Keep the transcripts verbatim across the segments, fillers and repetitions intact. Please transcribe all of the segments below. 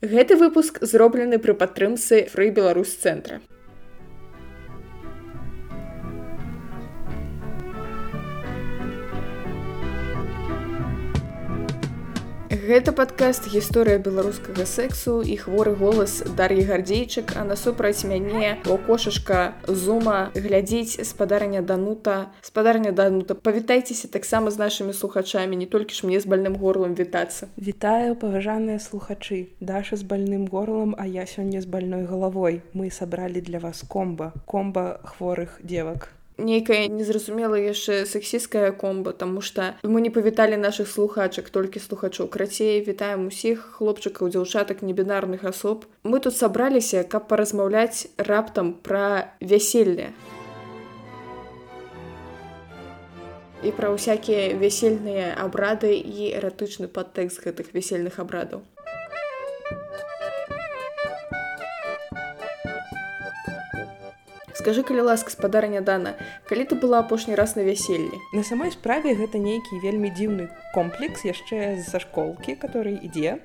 Гэты выпуск зроблены пры падтрымцы Free Беларусь цэнтра. Гэта падкаст «Гісторыя беларускага сэксу» і хворы голас Дар'і Гардзейчык, а насупраць мяне ваўкошашка Зума глядзіць спадарня Данута. Спадарня Данута, павітайцеся таксама з нашымі слухачамі, не толькі ж мне з больным горлам вітацца. Вітаю, паважаныя слухачы. Даша з больным горлам, а я сёння з больной галавой. Мы сабралі для вас комба. Комба хворых девак. Нейкая незразумела яшчэ сексісткая комба, таму што мы не павіталі нашых слухачак, толькі слухачоў. Крацей, вітаем усіх хлопчыкаў, дзяўчатак, небінарных асоб. Мы тут сабраліся, каб паразмаўляць раптам пра вяселле. І пра ўсякія вясельныя абрады і эратычны падтэкст гэтых вясельных абрадаў. Скажы, калі ласка, спадарня Дана, калі ты была апошні раз на вяселлі? На самой справе гэта нейкі вельмі дзіўны комплекс яшчэ з-за школкі, который ідзе.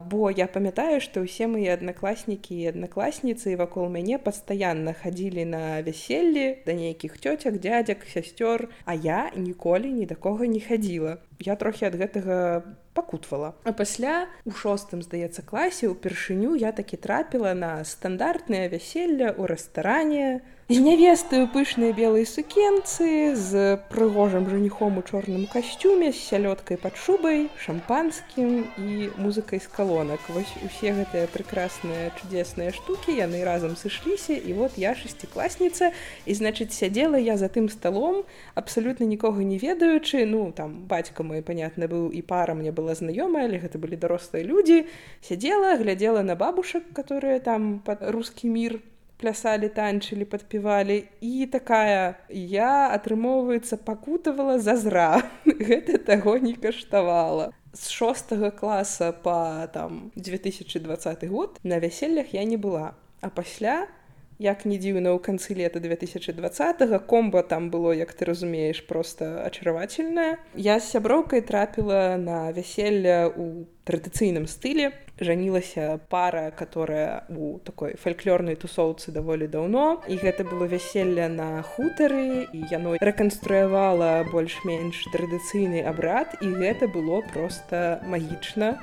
Бо я памятаю, што ўсе мае аднакласнікі і аднакласніцы вакол мяне пастаянна хадзілі на вяселлі да нейкіх цёцяк, дзядзяк, сясцёр, а я ніколі ні да кога не хадзіла. Я трохі ад гэтага пакутвала. А пасля у шостым, здаецца, класе ўпершыню я такі трапіла на стандартнае вяселле ў рэстаране з нявестай у пышнай белай сукенцы, з прыгожым жаніхом у чорным касцюме, з сялёдкай пад шубай, шампанскім і музыкай з калонак. Вось усе гэтыя прекрасныя чудесныя штукі, яны разам сышліся, і вот я шасцікласніца, і, значыць, сядзела я за тым сталом, абсалютна нікога не ведаючы, ну, там, бацька мой, понятна, быў, і пара мне была знаёмая, але гэта былі дарослыя людзі, сядзела, глядзела на бабушак, которые там пад рускі мір плясалі, танчылі, падпівалі, і такая, я, атрымоўваецца, пакутавала зазра. Гэта таго не каштавала. З шостага класа па, там, две тысячы дваццаты год на вяселлях я не была. А пасля, як не дзіўна, ў канцы лета две тысячы дваццатага комба там было, як ты разумееш, проста ачаравательнае. Я з сяброўкай трапіла на вяселле ў традыцыйным стылі. Жанілася пара, которая у такой фальклорнай тусоўцы даволі даўно. І гэта было вяселле на хутары, і яно рэканструявала больш-менш традыцыйны абрад, і гэта было проста магічна.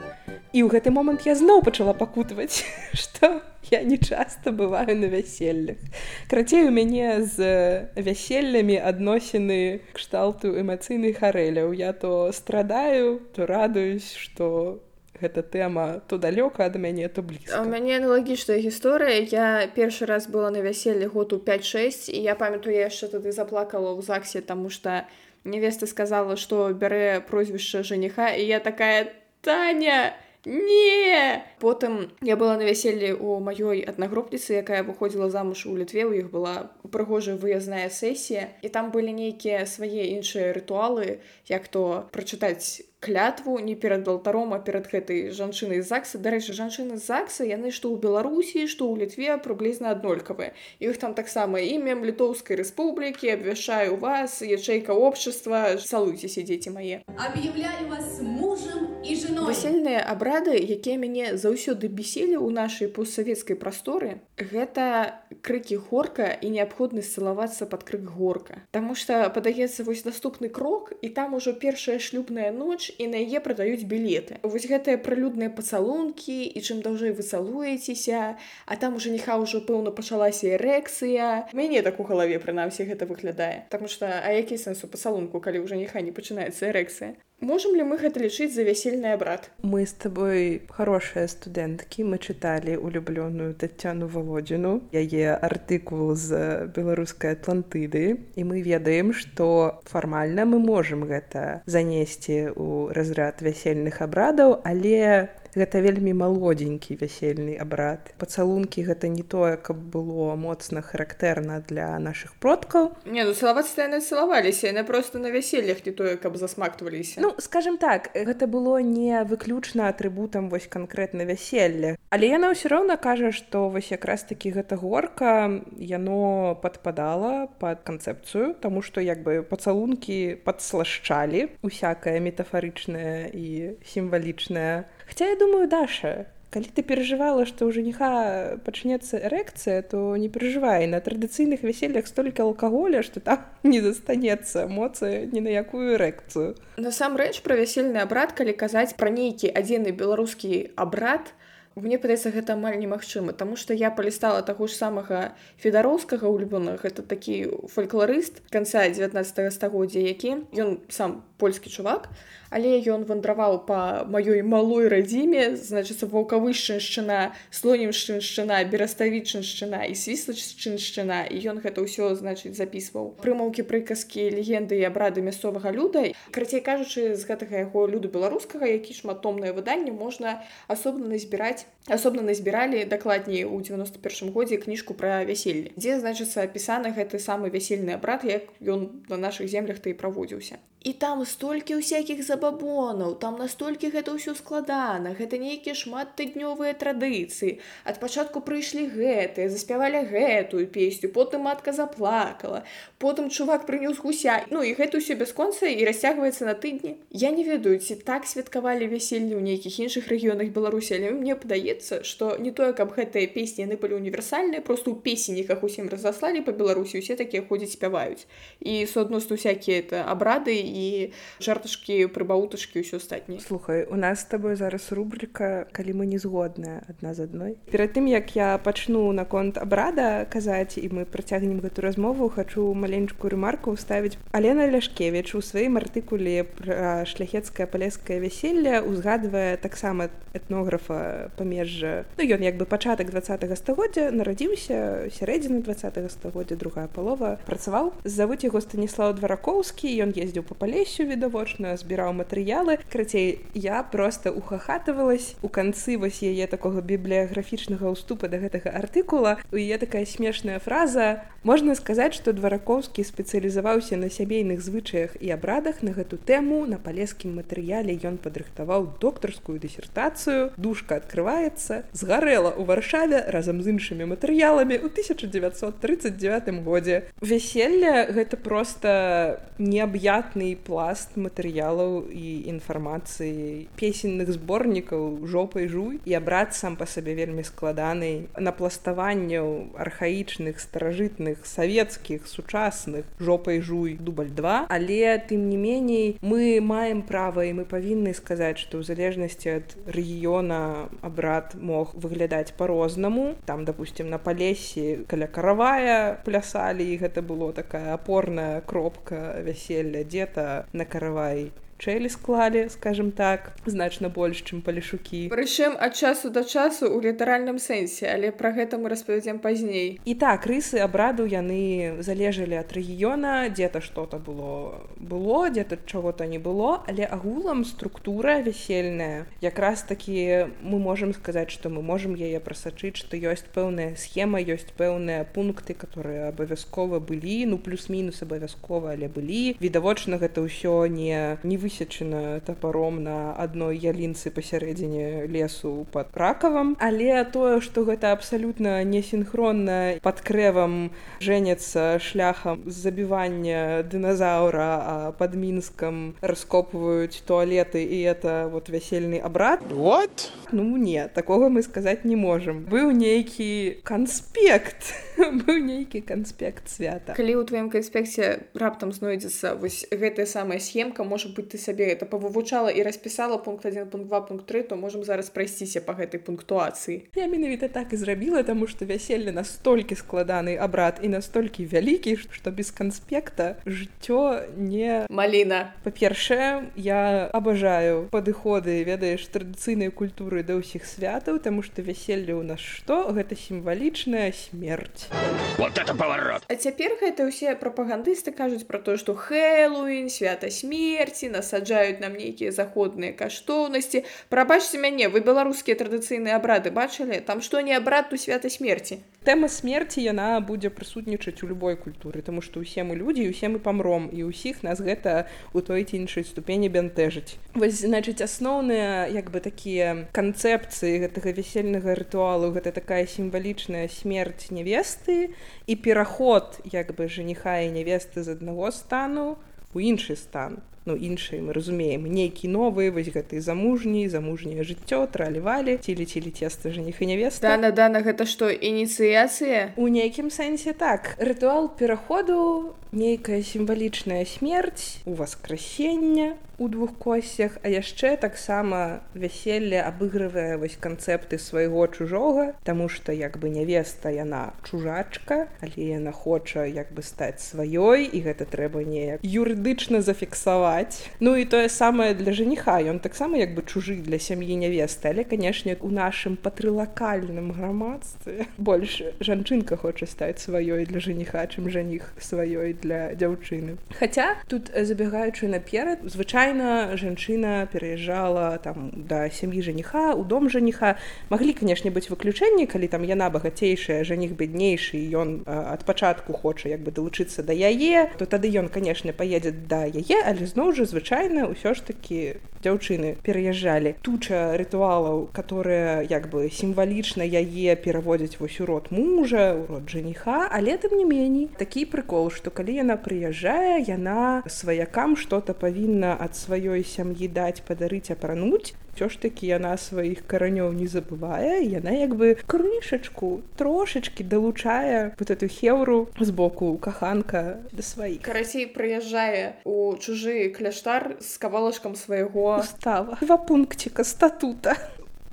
І ў гэты момант я зноў пачала пакутваць, што я не часта бываю на вяселлях. Крацей, у мяне з вяселлямі адносіны кшталту эмацыйных арэляў. Я то страдаю, то радуюсь, што гэта тэма то далёка ад мяне, то блізка. У мяне аналагічная гісторыя. Я першы раз была на вяселлі год у пяць-шэсць, і я памятаю, я яшчэ тады заплакала ў ЗАГСе, таму што невеста сказала, што бярэ прозвішча жаніха, і я такая: «Таня, не!» Потым я была на вяселлі ў маёй аднагрупніцы, якая выходзіла замуж у Літве, у іх была прыгожая выязная сесія, і там былі нейкія свае іншыя рытуалы, як то прачытаць клятву не перад алтаром, а перад гэтай жанчынай з ЗАГСа. Дарэчы, жанчыны з ЗАГСа, яны што ў Беларусі, што ў Літве прыблізна аднолькавыя. І іх там таксама імем Літоўскай рэспублікі, абвяшчаю вас, ячэйка общества, салуйцеся, дзеці мае. Аб'яўляю вас мужам і жэной. Весельныя абрады, якія мяне заўсёды бесілі ў нашай постсавецкай прасторы, гэта крыкі горка і неабходнасць цалавацца пад крык горка. Таму што падаецца вось наступны крок, і там ужо першая шлюбная ноч, і на яе прадаюць білеты. Вось гэтыя пралюдныя пацалункі, і чым даўжэй вы цалуецеся, а там у жаніха ўжо, пэўна, пачалася эрэкцыя. Мяне так у галаве, прынамсі, гэта выглядае. Таму што, а які сэнс у пацалунку, калі ў жаніха не пачынаецца эрэкцыя? Можам ли мы гэта лічыць за вясельны абрад? Мы з табой хорошыя студэнткі, мы чыталі улюблёную Таццяну Валодзіну, яе артыкул з беларускай Атлантыды, і мы ведаем, што фармальна мы можам гэта занесці ў разряд вясельных абрадаў, але гэта вельмі малодзенькі вясельны абрад. Пацалункі гэта не тое, каб было моцна характэрна для нашых продкаў. Не, ну цалавацца яны цалаваліся, яны проста на вяселлях не тое, каб засмактваліся. Ну, скажем так, гэта было не выключна атрыбутам вось канкрэтна вяселля. Але яна ўсё роўна кажа, што вось якраз такі гэта горка, яно падпадала пад канцэпцыю, таму што як бы пацалункі падслашчалі усякае метафарычнае і сімвалічнае. Хаця я думаю, Даша, Калі ты перажывала, што ў жаніха пачнецца эрэкцыя, то не перажывай, на традыцыйных вяселлях столькі алкаголя, што там не застанецца моцы ні на якую эрэкцыю. Насамрэч, пра вясельны абрад, калі казаць пра нейкі адзіны беларускі абрад, мне падаецца, гэта амаль немагчыма, таму што я палістала таго ж самага Федароўскага улюбёнага, гэта такі фальклорыст канца дзевятнаццатага стагоддзя, які ён сам польскі чувак, але ён вандраваў па маёй малой радзіме, значыцца, Ваўкавышчыншчына, Слонімшчыншчына, Бераставічыншчына і Свіслачыншчына, і ён гэта ўсё, значыць, запісваў. Прымаўкі, прыказкі, легенды і абрады мясцовага люда. Карацей кажучы, з гэтага яго люду беларускага, які шматтомнае выданне, можна асобна назбіраць, асобна назбіралі, дакладней, у дзевяносто першым годзе кніжку пра вяселле, дзе, значыцца, апісаны гэты самы вясельны абрад, як ён на нашых землях-то і праводзіўся. І там столькі ўсякіх забабонаў, там настолькі гэта ўсё складана, гэта нейкія шматтыднёвыя традыцыі. Ад пачатку прыйшлі гэтыя, заспявалі гэтую песню, потым матка заплакала, потым чувак прынёс гуся. Ну і гэта ўсё бясконца і расцягваецца на тыдні. Я не ведаю, ці так святкавалі вяселле ў нейкіх іншых рэгіёнах Беларусі, але мне падаецца, што не тое, каб гэтыя песні яны былі універсальныя, проста ў песенніках усім разаслалі па Беларусі, усе такія ходзяць, спяваюць. І суадносна усякія это абрады і жарташкі, прыбауташкі, ўсё астатняе. Слухай, у нас з табой зараз рубрика «Калі мы не згодныя адна з адной». Перад тым, як я пачну наконт абрада казаць, і мы працягнем гэту размову, хачу маленькую рэмарку ўставіць. Алена Ляшкевіч у сваім артыкуле пра шляхецкае палескае вяселле узгадвае таксама этнографа памежжа. Ну, ён як бы пачатак дваццатага стагоддзя, нарадзіўся сярэдзіну дваццатага стагоддзя, другая палова, працаваў. Завуць яго Станіслаў Дваракоўскі, ён ездзіў па Палесю відавочна, збіраў матэрыялы. Карацей, я проста ухахатывалась у канцы вось яе такога бібліяграфічнага ўступа да гэтага артыкула. У яе такая смешная фраза: «Можна сказаць, што Дваракоўскі спецыялізаваўся на сямейных звычаях і абрадах. На гэту тэму на палескім матэрыяле ён падрыхтаваў доктарскую дысертацыю. Дужка адкрываецца, згарэла ў Варшаве разам з іншымі матэрыяламі ў тысяча дзевяцьсот трыццаць дзевятым годзе». Вяселле — гэта проста неаб'ятны пласт матэрыялаў і інфармацыі, песенных зборнікаў «Жопай жуй». І абрад сам па сабе вельмі складаны, напластаванняў архаічных, старажытных, савецкіх, сучасных «Жопай жуй» дубль два. Але, тым не меней, мы маем права і мы павінны сказаць, што ў залежнасці ад рэгіёна абрад мог выглядаць па-рознаму. Там, допустим, на Палесі каля Каравая плясалі, і гэта было такая апорная кропка вяселля. Дзе-то на Каравай чэлі склалі, скажем так, значна больш, чым палешукі. Прычым ад часу да часу ў літаральным сэнсе, але пра гэта мы распавядзем пазней. І так, рысы абраду яны залежалі ад рэгіёна, дзе-то што-то было, было, дзе-то чаго-то не было, але агулам структура вясельная. Якраз такі мы можам сказаць, што мы можам яе прасачыць, што ёсць пэўная схема, ёсць пэўныя пункты, которые абавязкова былі, ну плюс-мінус абавязкова, але былі. Відавочна, гэта ўсё не, не высечана тапаром на адной ялінцы пасярэдзіне лесу пад Ракавам, але тое, што гэта абсалютна несінхронна пад крэвам жэняцца шляхам забівання дыназаўра, а пад Мінскам раскопваюць туалеты, і это вот вясельны абрад. What? Ну не, такога мы сказаць не можам. Быў нейкі канспект, быў нейкі канспект свята. Калі ў тваім канспекце раптам знойдзецца вось гэтая самая схемка, можа быць, ты сабе это павывучала і распісала пункт адзін, пункт два, пункт тры, то можам зараз прайсціся па гэтай пунктуацыі. Я менавіта так і зрабіла, таму што вяселле настолькі складаны абрад і настолькі вялікі, што без канспекта жыццё не... Маліна. Па-першае, я абажаю падыходы, ведаеш, традыцыйнай культуры да ўсіх святаў, таму што вяселле ў нас што? Гэта сімвалічная смерць. Вот это поворот! А цяпер гэта ўсе прапагандысты кажуць пра тое, што Хэллоуін, свята смерці, насаджаюць нам нейкія заходныя каштоўнасці. Прабачце мяне, вы беларускія традыцыйныя абрады бачылі? Там што не абрад, то свята смерці. Тэма смерці, яна будзе прысутнічаць у любой культуры, таму што ўсе мы людзі, і ўсе мы памром, і ўсіх нас гэта у той ці іншай ступені бянтэжыць. Вось, значыць, асноўныя, як бы, такія канцэпцыі гэтага вясельнага рытуалу, гэта такая сімвалічная смерць нявесты і пераход, як бы, жаніха і нявесты з аднаго стану у іншы стан. ну іншыя мы разумеем нейкі новы вось гэты замужні замужняе жыццё тралівалі цілі-цілі цеста жаніх і нявеста. Дана Дана гэта што ініцыяцыя? У нейкім сэнсе так. Рытуал пераходу, нейкая сімвалічная смерць, уваскрасення у двух косцях, а яшчэ таксама вяселле абыгрывае вось канцэпты свайго чужога, таму што як бы нявеста яна чужачка, але яна хоча як бы стаць сваёй, і гэта трэба неяк юрыдычна зафіксаваць. Ну і тое самае для жаніха, ён таксама як бы чужы для сям'і нявесты, але канешне у нашым патрылакальным грамадстве больш жанчынка хоча стаць сваёй для жаніха, чым жаніх сваёй для дзяўчыны. Хаця тут забегаючы наперад, звычайна жанчына пераязджала там да сям'і жаніха, у дом жаніха. Маглі, канешне, быць выключэнні, калі там яна багацейшая, жаніх беднейшы, і ён ад пачатку хоча як бы далучыцца да яе, то тады ён, канешне, паедзе да яе, але зноў жа звычайна ўсё ж такі дзяўчыны пераязджалі. Туча рытуалаў, которые як бы сімвалічна яе пераводзяць вось у род мужа, у род жаніха, але тым не меней такі прыкол, што калі яна прыязджае, яна сваякам што-то павінна ад сваёй сям'і даць, падарыць, апрануць. Усё ж такі яна сваіх каранёў не забывае, яна як бы крышачку, трошачкі далучае вот эту хеўру з боку каханка да сваіх. Карацей, прыязджае у чужы кляштар з кавалачкам свайго устава. Два пункціка статута.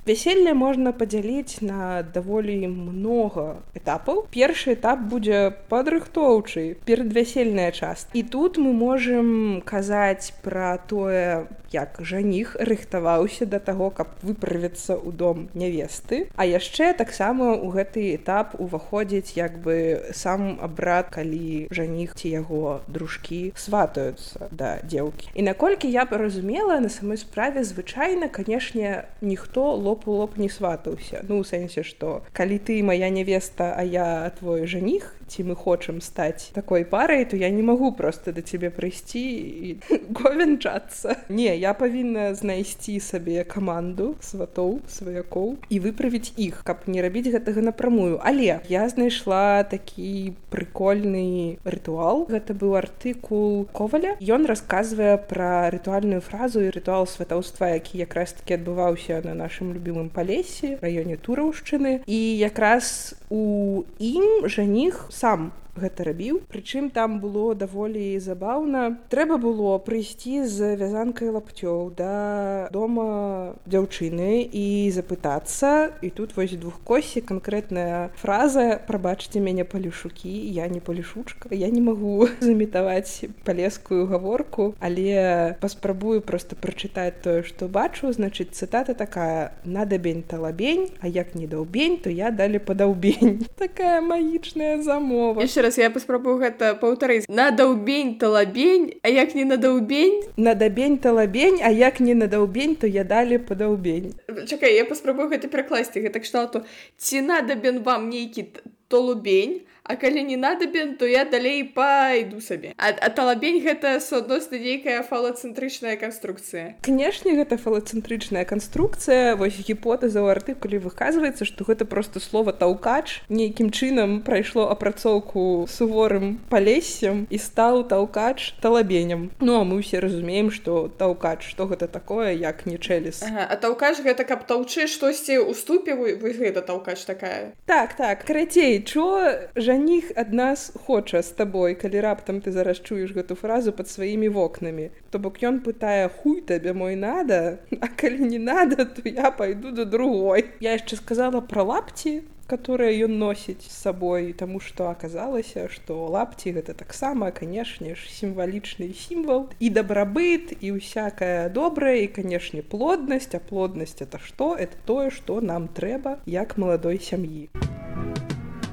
Вяселле можна падзяліць на даволі многа этапаў. Першы этап будзе падрыхтоўчы, перадвясельная частка. І тут мы можам казаць пра тое, як жаніх рыхтаваўся да таго, каб выправіцца ў дом нявесты. А яшчэ таксама ў гэты этап уваходзіць як бы сам абрад, калі жаніх ці яго дружкі сватаюцца да дзеўкі. І наколькі я паразумела, на самой справе звычайна, канешне, ніхто лоб у лоб не сватаўся. Ну, у сэнсе, што калі ты моя нявеста, а я твой жаніх, ці мы хочам стаць такой парай, то я не магу проста да цябе прыйсці і говенчацца. Не, я павінна знайсці сабе каманду сватоў, сваякоў і выправіць іх, каб не рабіць гэтага напрамую. Але я знайшла такі прыкольны рытуал. Гэта быў артыкул Коваля. Ён расказвае пра рытуальную фразу і рытуал сватаўства, які якраз такі адбываўся на нашым любімым Палесе, раёне Тураўшчыны. І якраз у ім жаніх сам гэта рабіў. Прычым там было даволі забаўна. Трэба было прыйсці з вязанкай лапцёў да дома дзяўчыны і запытацца. І тут вось двухкосі канкрэтная фраза: прабачце мяне, палешукі, я не палешучка. Я не магу замітаваць палескую гаворку, але паспрабую проста прачытаць тое, што бачу. Значыць, цытата такая: надабень талабень, а як не даўбень, то я далі падаўбень. Такая магічная замова. Раз я паспрабую гэта паўтарыць. Надаўбень талабень, а як не надаўбень? Надабень талабень, а як не надаўбень, то я далі падаўбень. Чакай, я паспрабую гэта перакласці. Гэта кшталту: ці надабен вам нейкі толубень, а калі не надабен, то я далей пайду сабе. А, а талабень гэта суадносна нейкая фалацэнтрычная канструкцыя. Канешне, гэта фалацэнтрычная канструкцыя. Вось гіпотэза ў артыкуле выказваецца, што гэта проста слова таўкач нейкім чынам прайшло апрацоўку суворым палессем і стаў таўкач талабенем. Ну, а мы ўсе разумеем, што таўкач, што гэта такое, як не чэлес. Ага, а таўкач гэта каб таўчы штосьці ў ступе, вось гэта таўкач такая. Так, так, карацей, чо жаніх ад нас хоча з табой, калі раптам ты зараз чуеш гэту фразу пад сваімі вокнамі. То бок ён пытае: хуй табе мой надо, а калі не надо, то я пайду да другой. Я яшчэ сказала пра лапці, которые ён носіць з сабой, таму што аказалася, што лапці гэта таксама, канешне ж, сімвалічны сімвал і дабрабыт, і ўсякае добрае, і, канешне, плоднасць. А плоднасць это што? Это тое, што нам трэба як маладой сям'і.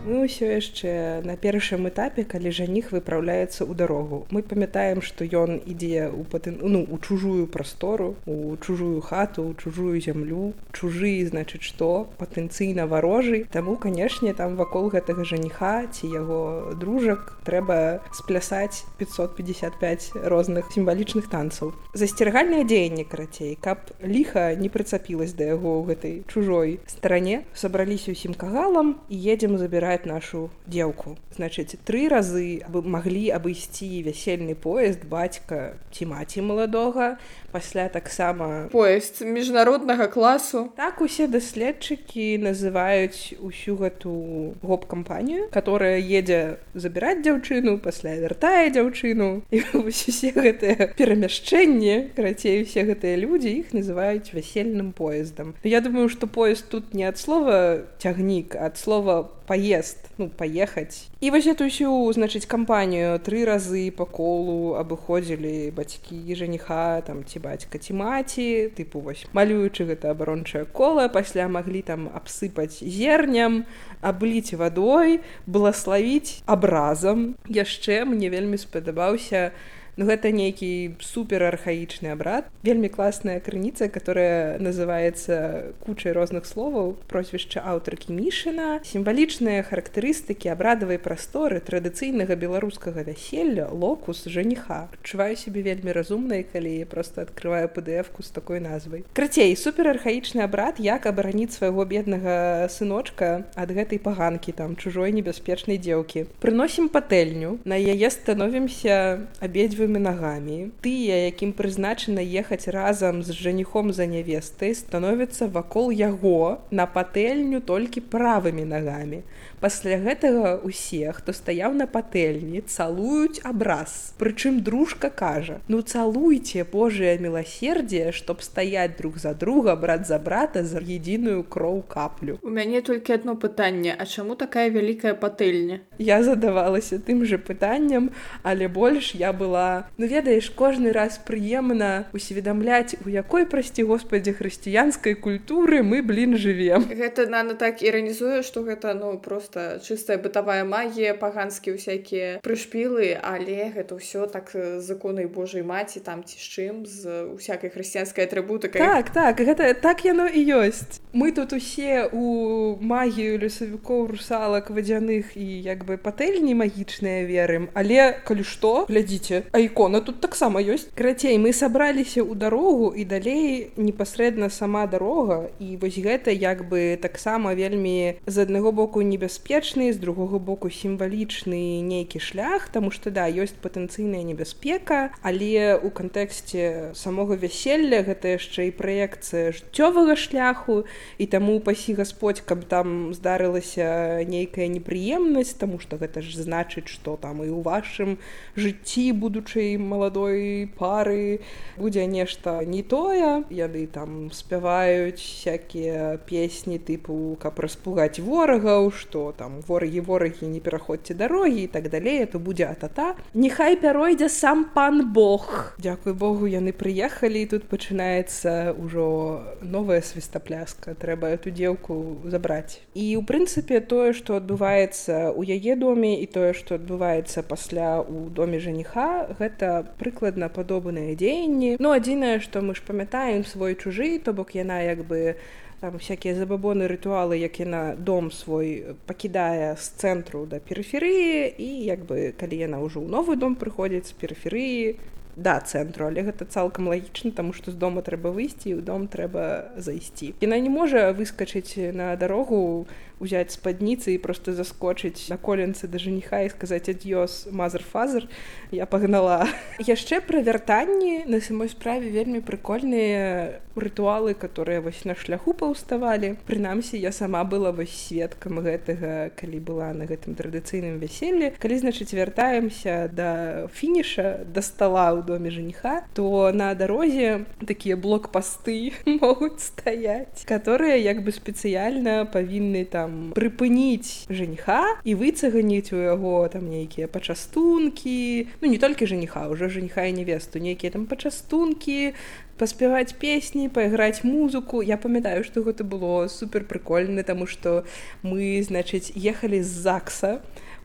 Мы ўсё яшчэ на першым этапе, калі жаніх выпраўляецца ў дарогу. Мы памятаем, што ён ідзе ў патэн... ну, у чужую прастору, у чужую хату, у чужую зямлю. Чужы, значыць, што? Патэнцыйна варожы. Таму, канешне, там вакол гэтага жаніха ці яго дружак трэба сплясаць пятьсот пятьдесят пять розных сімвалічных танцаў. Засцерагальнае дзеянне, карацей, каб ліха не прыцапілась да яго ў гэтай чужой старане. Сабраліся ўсім кагалам і едзем забіраць забирать нашу дзеўку. Значыць, тры разы маглі абысці вясельны поезд бацька ці маці маладога, пасля таксама поезд міжнароднага класу. Так усе даследчыкі называюць усю гэту гоп-кампанію, которая едзе забіраць дзяўчыну, пасля вяртае дзяўчыну. І вось усе гэтыя перамяшчэнні, карацей, усе гэтыя людзі, іх называюць вясельным поездам. Я думаю, што поезд тут не ад слова цягнік, а ад слова поезд, ну, поехаць. І вось эту ўсю, значыць, кампанію тры разы па колу абыходзілі бацькі жаніха, там, ці бацька, ці маці, тыпу, вось, малюючы гэта абарончае кола, пасля маглі там абсыпаць зерням, абліць вадой, благаславіць абразам. Яшчэ мне вельмі спадабаўся, ну, гэта нейкі суперархаічны абрад. Вельмі класная крыніца, которая называецца кучай розных словаў, прозвішча аўтаркі Мішына, сімвалічныя характарыстыкі абрадавай прасторы традыцыйнага беларускага вяселля, локус жаніха. Адчуваю сябе вельмі разумнай, калі я проста адкрываю пи ди эф-ку з такой назвай. Крацей, суперархаічны абрад, як абараніць свайго беднага сыночка ад гэтай паганкі, там, чужой небяспечнай дзеўкі. Прыносім патэльню, на яе становімся абедзве нагамі. Тыя, якім прызначана ехаць разам з жаніхом за нявестай, становяцца вакол яго на патэльню толькі правымі нагамі. Пасля гэтага усе, хто стаяў на патэльні, цалуюць абраз. Прычым дружка кажа: ну цалуйце Божае міласердзе, чтоб стаяць друг за друга, брат за брата, за единую кроў каплю. У мяне толькі одно пытанне: а чаму такая вялікая патэльня? Я задавалася тым же пытаннем, але больш я была, ну ведаеш, кожны раз прыемна усведамляць, у якой, прасці Господзе, хрысціянскай культуры мы, блін, жывем. Гэта нана так іранізуе, што гэта, ну, просто чыстая бытавая магія, паганскія ўсякія прышпілы, але гэта ўсё так з іконай Божай маці, там ці з чым, з усякай хрысціянскай атрыбутыкай. Так, так, гэта так яно і ёсць. Мы тут усе у магію лесавікоў, русалак, вадзяных і як бы патэльні магічныя верым, але калі што, глядзіце, а ікона тут таксама ёсць. Карацей, мы сабраліся ў дарогу і далей непасрэдна сама дарога, і вось гэта як бы таксама вельмі з аднаго боку небяспечны, з другога боку сімвалічны нейкі шлях, таму што да, ёсць патэнцыйная небяспека, але ў кантэксце самога вяселля гэта яшчэ і праекцыя жыццёвага шляху, і таму пасі Гасподзь, каб там здарылася нейкая непрыемнасць, таму што гэта ж значыць, што там і ў вашым жыцці будучай маладой пары будзе нешта не тое. Яны там спяваюць всякія песні тыпу, каб распугаць ворагаў, што там ворагі, ворагі, не пераходзьце дарогі і так далей, то будзе атата. Няхай пяройдзе сам пан Бог. Дзякуй Богу, яны прыехалі, і тут пачынаецца ўжо новая свістапляска. Трэба эту дзеўку забраць. І ў прынцыпе тое, што адбываецца ў яе доме, і тое, што адбываецца пасля ў доме жаніха, гэта прыкладна падобныя дзеянні. Ну, адзінае, што мы ж памятаем свой чужы, то бок яна як бы там всякія забабоны, рытуалы, як яна дом свой пакідае з цэнтру да перыферыі, і як бы калі яна ўжо ў новы дом прыходзіць з перыферыі да цэнтру, але гэта цалкам лагічна, таму што з дома трэба выйсці і ў дом трэба зайсці. Яна не можа выскачыць на дарогу, узяць спадніцы і проста заскочыць на коленцы да жаніха і сказаць: ад'ёс, мазер-фазер, я пагнала. Яшчэ пра вяртанні на самой справе вельмі прыкольныя рытуалы, которые вось на шляху паўставалі. Прынамсі, я сама была вось сведкам гэтага, калі была на гэтым традыцыйным вяселлі. Калі, значыць, вяртаемся да фініша, да стала ў доме жаніха, то на дарозе такія блокпасты могуць стаяць, которые як бы спецыяльна павінны там прыпыніць жаніха і выцаганіць у яго там нейкія пачастункі, ну не толькі жаніха, уже жаніха і невесту, нейкія там пачастункі, паспяваць песні, пайграць музыку. Я памятаю, што гэта было супер прыкольна, таму што мы, значыць, ехалі з ЗАГСа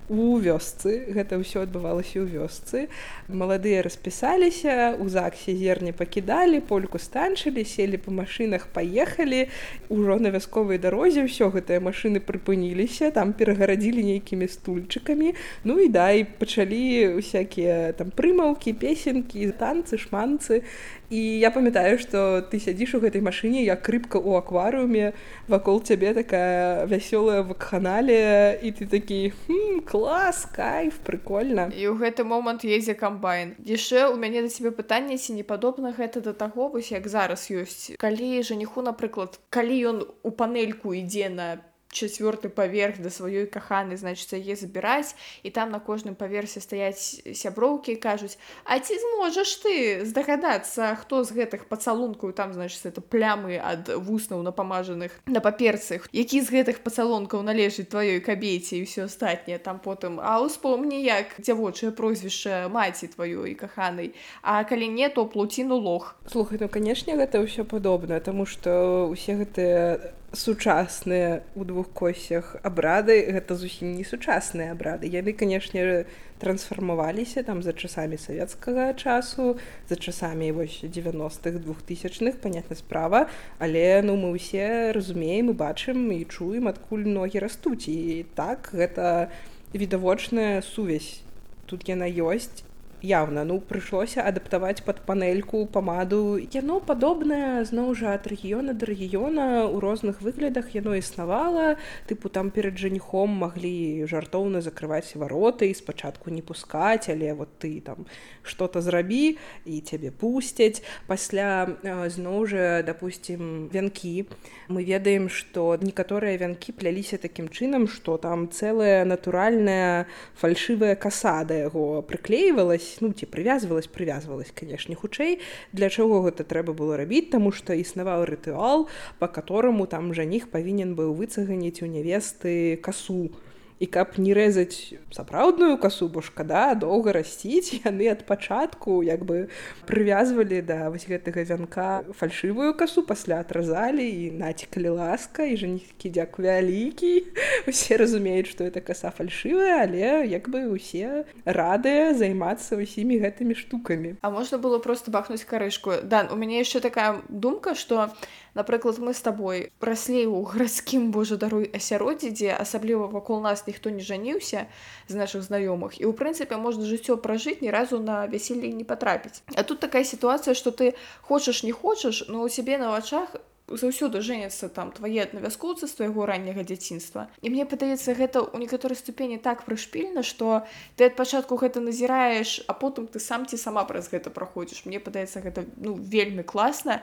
у вёсцы, гэта ўсё адбывалася ў вёсцы. Маладыя распісаліся, у ЗАГСе зерне пакідалі, польку станчылі, селі па машынах, паехалі, ужо на вясковай дарозе ўсё гэтыя машыны прыпыніліся, там перагарадзілі нейкімі стульчыкамі, ну і да, і пачалі усякія там прымаўкі, песенкі, танцы, шманцы. І я памятаю, што ты сядзіш у гэтай машыне, як рыбка ў акварыуме, вакол цябе такая вясёлая вакханалія, і ты такі, хм, клас, кайф, прыкольна. І ў гэты момант едзе камбайн. Яшчэ у мяне да цябе пытанне, ці не падобна гэта да таго, вось як зараз ёсць. Калі жаніху, напрыклад, калі ён у панельку ідзе на чацвёрты паверх да сваёй каханы, значыць, яе забіраць, і там на кожным паверсе стаяць сяброўкі і кажуць: а ці зможаш ты здагадацца, хто з гэтых пацалункаў, там, значыць, это плямы ад вуснаў напамажаных на паперцы, які з гэтых пацалункаў належыць тваёй кабеце і ўсё астатняе, там потым, а ўспомні, як дзявочае прозвішча маці тваёй каханай, а калі не, то плуціну лох. Слухай, ну, канешне, гэта ўсё падобна, таму што ўсе гэтыя сучасныя ў двух косях абрады, гэта зусім не сучасныя абрады. Яны, канешне, трансфармаваліся там за часамі савецкага часу, за часамі вось дзевяностых, двухтысячных, панятна справа, але ну мы ўсе разумеем і бачым і чуем, адкуль ногі растуць. І так, гэта відавочная сувязь. Тут яна ёсць. Явна, ну, прыйшлося адаптаваць пад панельку памаду. Яно падобнае, зноў жа, ад рэгіёна да рэгіёна, у розных выглядах яно існавала. Тыпу, там перад жаніхом маглі жартоўна закрываць вароты і спачатку не пускаць, але вот ты там што-то зрабі, і цябе пусцяць. Пасля, зноў жа, дапусцім, вянкі. Мы ведаем, што некаторыя вянкі пляліся такім чынам, што там цэлая натуральная фальшывая каса да яго прыклеівалась, ну, ці прывязвалась, прывязвалась, канешне, хутчэй. Для чаго гэта трэба было рабіць? Таму што існаваў рытуал, па катораму там жаніх павінен быў выцаганіць у нявесты касу. І каб не рэзаць сапраўдную касу, бо шкада доўга расціць, яны ад пачатку як бы прывязвалі да вось гэтага вянка фальшывую касу, пасля атразалі і націкалі ласка, і жаніхі дзяк вялікі. Усе разумеюць, што гэта каса фальшывая, але як бы усе радыя займацца ўсімі гэтымі штукамі. А можна было проста бахнуць карышку. Дан, у мяне яшчэ такая думка, што, напрыклад, мы з табой раслі ў гарадскім, божа даруй, асяроддзі, дзе асабліва вакол нас ніхто не жаніўся з нашых знаёмых, і ў прынцыпе можна жыццё пражыць, ні разу на вяселле не патрапіць. А тут такая сітуацыя, што ты хочаш не хочаш, но у цябе на вачах заўсёды жэняцца там твае аднавяскоўцы з твайго ранняга дзяцінства. І мне падаецца, гэта ў некаторай ступені так прышпільна, што ты ад пачатку гэта назіраеш, а потым ты сам ці сама праз гэта праходзіш. Мне падаецца, гэта ну вельмі класна.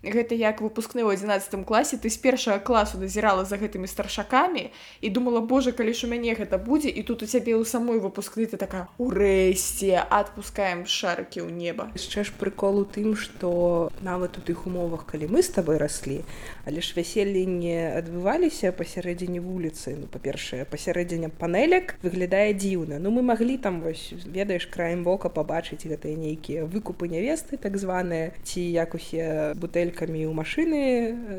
Гэта як выпускны ў адзінаццатым класе, ты з першага класу назірала за гэтымі старшакамі і думала, божа, калі ж у мяне гэта будзе, і тут у цябе ў самой выпускны ты такая: урэшце, адпускаем шарыкі ў неба. Яшчэ ж прыкол у тым, што нават у тых умовах, калі мы з табой раслі, але ж вяселлі не адбываліся пасярэдзіне вуліцы. Ну, па-першае, пасярэдзіне панелек выглядае дзіўна. Ну, мы маглі там, вось, ведаеш, краем вока пабачыць гэтыя нейкія выкупы нявесты, так званыя, ці як усе бутэлькамі ў машыны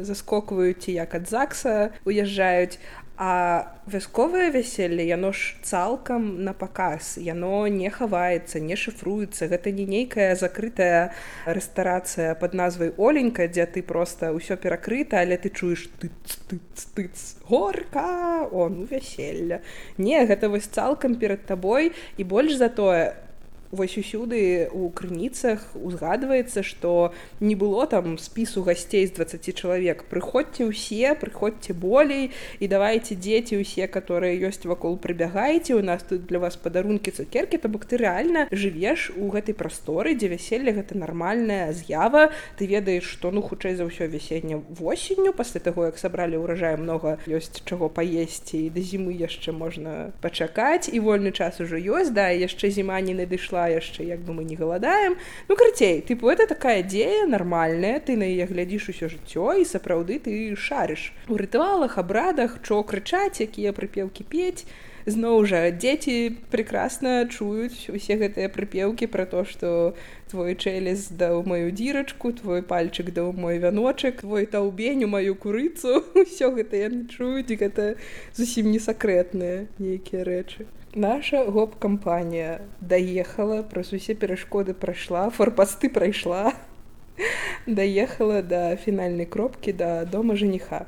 заскокваюць, ці як ад ЗАГСа уязджаюць. А вясковае вяселле, яно ж цалкам на паказ, яно не хаваецца, не шыфруецца. Гэта не нейкая закрытая рэстарацыя пад назвай Оленька, дзе ты проста ўсё перакрыта, але ты чуеш тыц-тыц-тыц, горка, о, ну вяселля. Не, гэта вось цалкам перад табой, і больш за тое, вось усюды у крыніцах узгадваецца, што не было там спісу гасцей з дваццаці чалавек. Прыходзьце ўсе, прыходзьце болей, і давайце дзеці ўсе, которые ёсць вакол, прыбягайце, у нас тут для вас падарункі, цукеркі. То бок ты рэальна жывеш у гэтай прасторы, дзе вяселле гэта нармальная з'ява. Ты ведаеш, што ну хутчэй за ўсё вясенне восенню, пасля таго як сабралі ўраджай, многа ёсць чаго паесці, і да зімы яшчэ можна пачакаць, і вольны час ужо ёсць, да, і яшчэ зіма не надышла, яшчэ як бы мы не галадаем. Ну, карацей, тыпу, это такая дзея нармальная, ты на яе глядзіш усё жыццё, і сапраўды ты шарыш у рытуалах, абрадах, чо крычаць, якія прыпеўкі пець. Зноў жа, дзеці прекрасна чуюць усе гэтыя прыпеўкі пра то, што твой чэлес даў маю дзірачку, твой пальчык даў мой вяночак, твой таўбень у маю курыцу. Усё гэта яны чуюць, гэта зусім не сакрэтныя нейкія рэчы. Наша гоп-кампанія даехала, праз усе перашкоды прайшла, форпасты прайшла, даехала да фінальнай кропкі, да дома жаніха.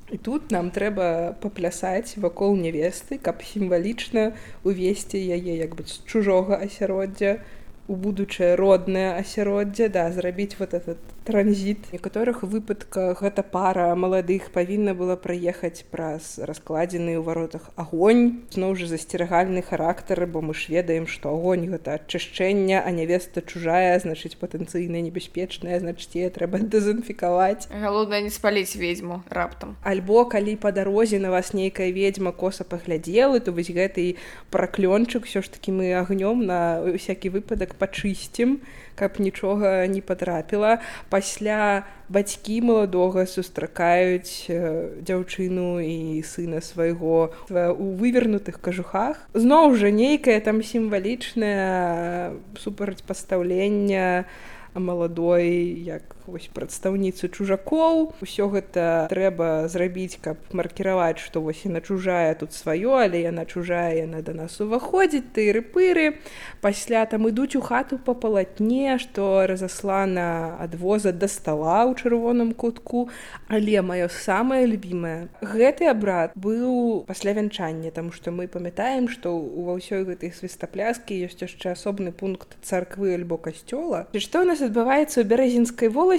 І тут нам трэба паплясаць вакол нявесты, каб сімвалічна увесці яе як бы з чужога асяроддзя у будучае роднае асяроддзе, да, зрабіць вот этот транзіт. У некаторых выпадках гэта пара маладых павінна была праехаць праз раскладзены ў варотах агонь. Зноў жа засцерагальны характар, бо мы ж ведаем, што агонь гэта ачышчэнне, а нявеста чужая, значыць патэнцыйна небяспечная, значыць яе трэба дэзінфікаваць. Галоўнае не спаліць ведзьму раптам. Альбо калі па дарозе на вас нейкая ведзьма коса паглядзела, то вось гэты праклёнчык ўсё ж такі мы агнём на всякі выпадак пачысцім, каб нічога не патрапіла. Пасля бацькі маладога сустракаюць дзяўчыну і сына свайго у вывернутых кажухах. Зноў жа нейкае там сімвалічнае супрацьпастаўленне маладой, як вось прадстаўніцы чужакоў. Усё гэта трэба зрабіць, каб маркіраваць, што вось яна чужая тут сваё, але яна чужая, яна да нас уваходзіць, тыры-пыры. Пасля там ідуць у хату па палатне, што разаслана ад воза да стала ў чырвоным кутку. Але маё самае любімае, гэты абрад быў пасля вянчання, таму што мы памятаем, што ва ўсёй гэтай свістапляскі ёсць яшчэ асобны пункт царквы альбо касцёла. І што ў нас адбываецца ў Бярэзінскай воласці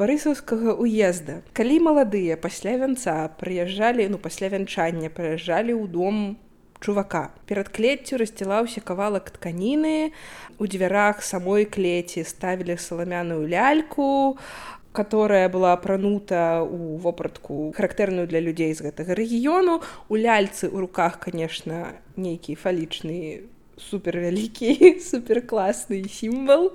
барысаўскага уезда. Калі маладыя пасля вянца прыязджалі, ну пасля вянчання прыязджалі ў дом чувака. Перад клеццю рассцілаўся кавалак тканіны, у дзвярах самой клеці ставілі саламяную ляльку, которая была апранута ў вопратку, характэрную для людзей з гэтага рэгіёну. У ляльцы ў руках, конечно, нейкі фалічны супервялікі, суперкласны сімвал.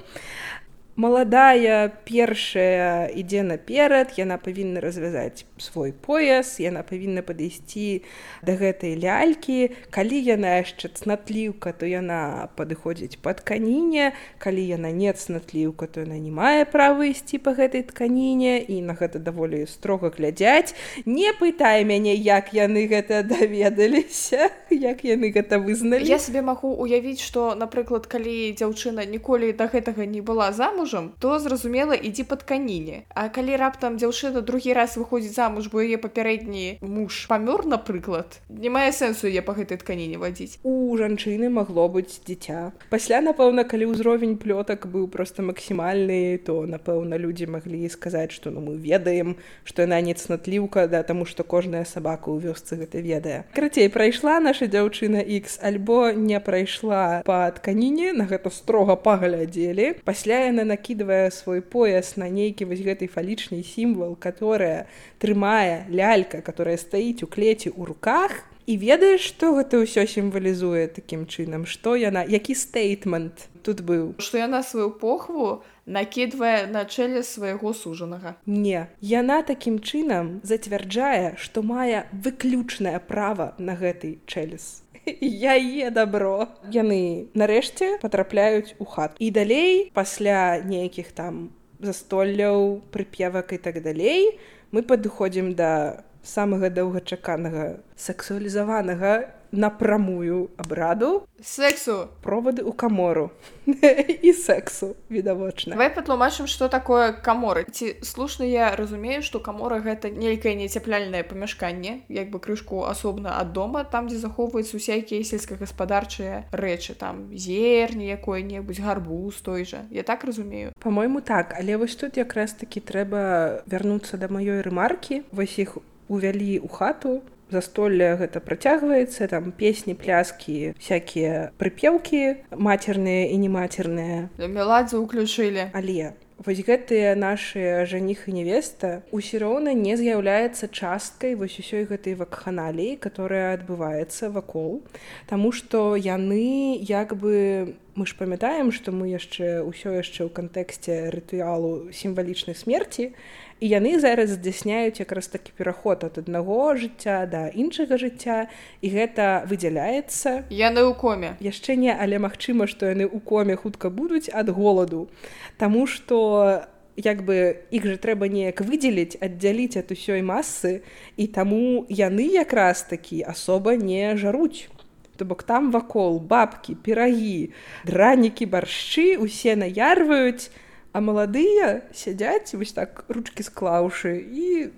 Маладая першая ідзе наперад, яна павінна развязаць свой пояс, яна павінна падысці да гэтай лялькі. Калі яна яшчэ цнатліўка, то яна падыходзіць па тканіне. Калі яна не цнатліўка, то яна не мае права ісці па гэтай тканіне, і на гэта даволі строга глядзяць. Не пытай мяне, як яны гэта даведаліся, як яны гэта вызналі. Я сабе магу уявіць, што, напрыклад, калі дзяўчына ніколі да гэтага не была замуж, то, зразумела, ідзі па тканіне. А калі раптам дзяўчына другі раз выходзіць замуж, бо яе папярэдні муж памёр, напрыклад, не мае сэнсу яе па гэтай тканіне вадзіць. У жанчыны магло быць дзіця. Пасля, напэўна, калі ўзровень плётак быў проста максімальны, то, напэўна, людзі маглі сказаць, што ну, мы ведаем, што яна не цнатліўка, да, таму што кожная сабака ў вёсцы гэта ведае. Карацей, прайшла наша дзяўчына Ікс, альбо не прайшла па тканіне, на гэта строга паглядзелі. Пасля яна накидывая свой пояс на нейкі вось гэты фалічны сімвал, которая трымае лялька, которая стаіць у клеці ў руках. І ведаеш, што гэта ўсё сімвалізуе такім чынам? Што яна, які стейтмент тут быў? Што яна сваю похву накидвае на чэлес свайго сужанага. Не, яна такім чынам зацвярджае, што мае выключнае права на гэты чэлес. Яе дабро. Яны нарэшце патрапляюць у хату. І далей, пасля нейкіх там застолляў, прыпевак і так далей, мы падыходзім да самага доўгачаканага сексуалізаванага напрамую абраду. Сексу. Провады ў камору. І сексу, відавочна. Давай патлумачым, што такое каморы. Ці слушна я разумею, што камора гэта нейкае нецяпляльнае памяшканне, як бы крышку асобна ад дома, там, дзе захоўваюцца усякія сельскагаспадарчыя рэчы, там зерні якой-небудзь, гарбуз той жа. Я так разумею? Па-мойму, так, але вось тут якраз такі трэба вярнуцца да маёй рэмаркі. Вось іх увялі ў хату, застолле гэта працягваецца, там песні, пляскі, всякія прыпеўкі, мацерныя і немацерныя. Меладзе ўключылі. Але вось гэтыя нашы жаніх і невеста ўсё роўна не з'яўляецца часткай вось усёй гэтай вакханаліі, которая адбываецца вакол, таму што яны як бы... Мы ж памятаем, што мы яшчэ ўсё яшчэ ў кантэксце рытуалу сімвалічнай смерці, і яны зараз здзяйсняюць якраз такі пераход ад аднаго жыцця да іншага жыцця, і гэта выдзяляецца. Яны ў коме. Яшчэ не, але магчыма, што яны ў коме хутка будуць ад голаду, таму што як бы іх жа трэба неяк выдзеліць, аддзяліць ад усёй масы, і таму яны якраз такі асоба не жаруць. То бок там вакол бабкі, пірагі, дранікі, баршчы усе наярваюць, а маладыя сядзяць вось так ручкі склаўшы і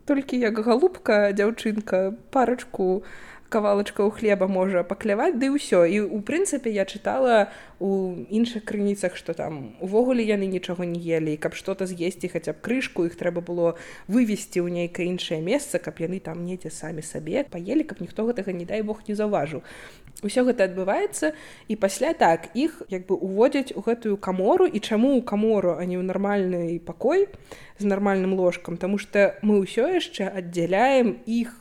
толькі як галубка, дзяўчынка, парачку кавалачкаў хлеба можа пакляваць, ды ўсё. І ў прынцыпе я чытала у іншых крыніцах, што там увогуле яны нічога не елі, і каб што-то з'есці хаця б крышку, іх трэба было вывесці ў нейкае іншае месца, каб яны там недзе самі сабе паелі, каб ніхто гэтага, не дай Бог, не заўважыў. Усё гэта адбываецца, і пасля так іх як бы уводзяць у гэтую камору. І чаму ў камору, а не ў нармальны пакой з нармальным ложкам? Таму што мы ўсё яшчэ аддзяляем іх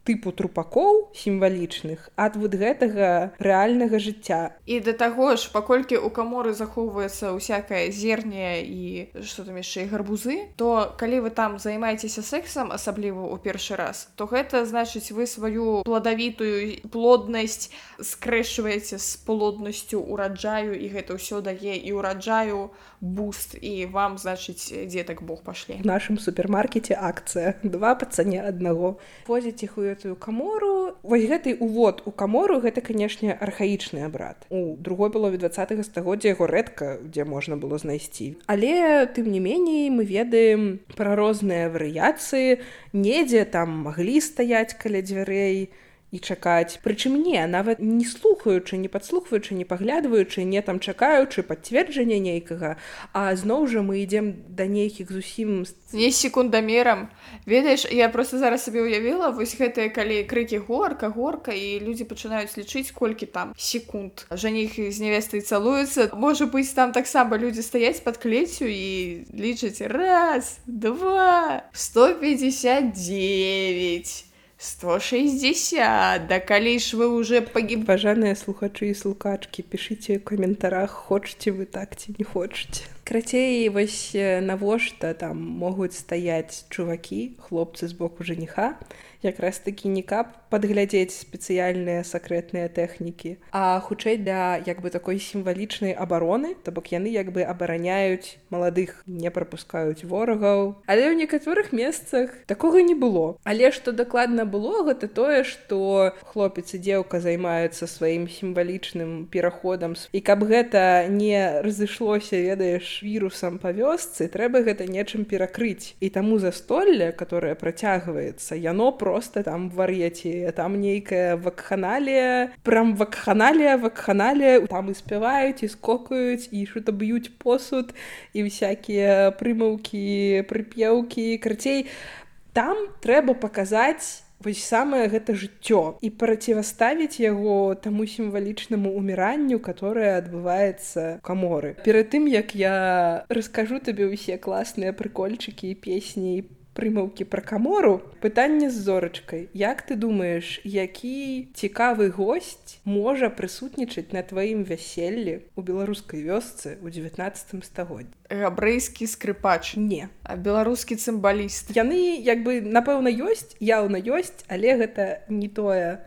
тыпу трупакоў сімвалічных ад вот гэтага рэальнага жыцця. І да таго ж, паколькі ў каморы захоўваецца ўсякае зерне і што там яшчэ і гарбузы, то калі вы там займаецеся сексам, асабліва ў першы раз, то гэта значыць вы сваю пладавітую плоднасць скрэшваеце з плоднасцю ураджаю, і гэта ўсё дае і ураджаю буст, і вам, значыць, дзетак Бог пашле. В нашым супермаркеце акцыя два па цане аднаго. Возіць іх у гэтую камору. Вось гэты увод у камору, гэта, канешне, архаічны абрад. У другой палове двадцатага стагоддзя яго рэдка дзе можна было знайсці. Але, тым не меней, мы ведаем пра розныя варыяцыі. Недзе там маглі стаяць каля дзвярэй і чакаць. Прычым не, нават не слухаючы, не падслухваючы, не паглядваючы, не там чакаючы пацверджання нейкага, а зноў жа мы ідзем да нейкіх зусім... Не секундамерам. Ведаеш, я просто зараз сабе уявіла, вось гэтыя, калі крыкі горка, горка, і людзі пачынаюць лічыць, колькі там секунд. Жаніх з нявестай цалуюцца. Можа быць, там таксама людзі стаяць пад клеццю і лічаць раз, два, сто пятьдесят девять. сто шестьдесят, да калі ж вы уже пагиб... Пажаныя слухачы і слухачкі, пішыце ў каментарах, хочаце вы так ці не хочаце. Крацей, вось навошта там могуць стаяць чувакі, хлопцы з боку жаніха, якраз такі не каб падглядзець спецыяльныя сакрэтныя тэхнікі, а хутчэй для як бы такой сімвалічнай абароны, то бок яны як бы абараняюць маладых, не прапускаюць ворагаў. Але ў некаторых месцах такога не было. Але што дакладна было, гэта тое, што хлопец і дзеўка займаюцца сваім сімвалічным пераходам. І каб гэта не разышлося, ведаеш, вірусам па вёсцы, трэба гэта нечым перакрыць. І таму застолле, которое працягваецца, яно просто там вар'яці, там нейкая вакханалія, прям вакханалія, вакханалія, там і спяваюць, і скокаюць, і што-то б'юць посуд, і всякія прымаўкі, прыпеўкі, карцей. Там трэба паказаць вось самае гэта жыццё і праціўставіць яго таму сімвалічнаму ўміранню, которое адбываецца ў каморы. Перад тым, як я раскажу табе ўсе класныя прыкольчыкі і песні і прымаўкі пра камору, пытанне з зорачкай. Як ты думаеш, які цікавы госць можа прысутнічаць на тваім вяселлі ў беларускай вёсцы ў дзевятнаццатым стагоддзі? Габрэйскі скрыпач. Не. А беларускі цымбаліст. Яны, як бы, напэўна, ёсць, яўна ёсць, але гэта не тое,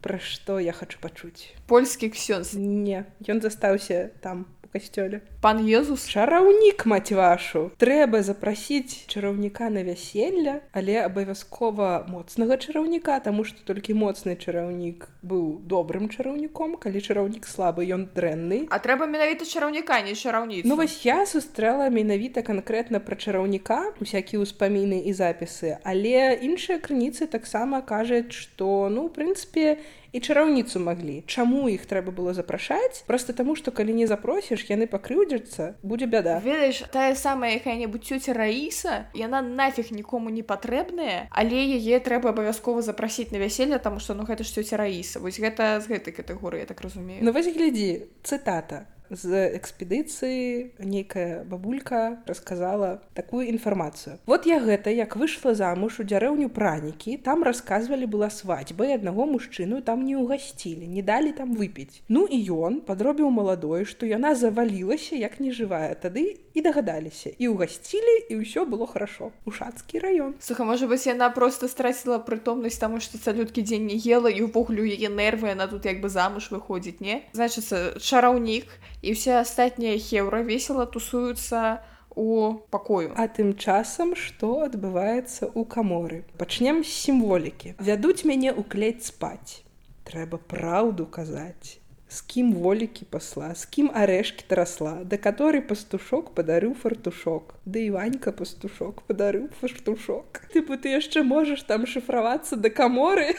пра што я хачу пачуць. Польскі ксёндз. Не, ён застаўся там, у касцёле. Пан Езус? Чараўнік, маць вашу! Трэба запрасіць чараўніка на вяселля, але абавязкова моцнага чараўніка, таму што толькі моцны чараўнік быў добрым чараўніком, калі чараўнік слабы, ён дрэнны. А трэба менавіта чараўніка, не чараўніцу. Ну вось я сустрэла менавіта канкрэтна пра чараўніка, усякія ўспаміны і запісы, але іншыя крыніцы таксама кажуць, што, ну, ў прынцыпе, і чараўніцу маглі. Чаму іх трэба было запрашаць? Проста таму, што калі не запросіш, яны пакрыўдзяцца, будзе бяда. Ведаеш, тая самая якая-небудзь цёця Раіса, яна нафіг нікому не патрэбная, але яе трэба абавязкова запрасіць на вяселле, таму што, ну, гэта ж цёця Раіса. Вось гэта з гэтай катэгорыі, я так разумею. Ну вось глядзі, цытата. з экспедыцыі нейкая бабулька расказала такую інфармацыю. Вот я гэта, як выйшла замуж у дзярэўню Пранікі, там расказвалі, была свадьба, і аднаго мужчыну там не ўгасцілі, не далі там выпіць. Ну і ён падробіў маладой, што яна завалілася, як нежывая. Тады і дагадаліся, і ўгасцілі, і ўсё было хорошо. Ушацкі раён. Слухай, можа быць, яна просто страціла прытомнасць, таму што цалюткі дзень не ела, і ўвогуле яе нервы, яна тут як бы замуж выходзіць, не? Значыцца, чараўнік і ўсе астатнія хеўра весела тусуюцца у пакою. А тым часам, што адбываецца ў каморы? Пачнем з сімволікі. Вядуць мяне ў клець спаць. Трэба праўду казаць. З кім волікі пасла, з кім арэшкі тарасла, да каторы пастушок падарыў фартушок, да і Ванька пастушок падарыў фартушок. Тыпу, ты яшчэ можаш там шыфравацца да каморы,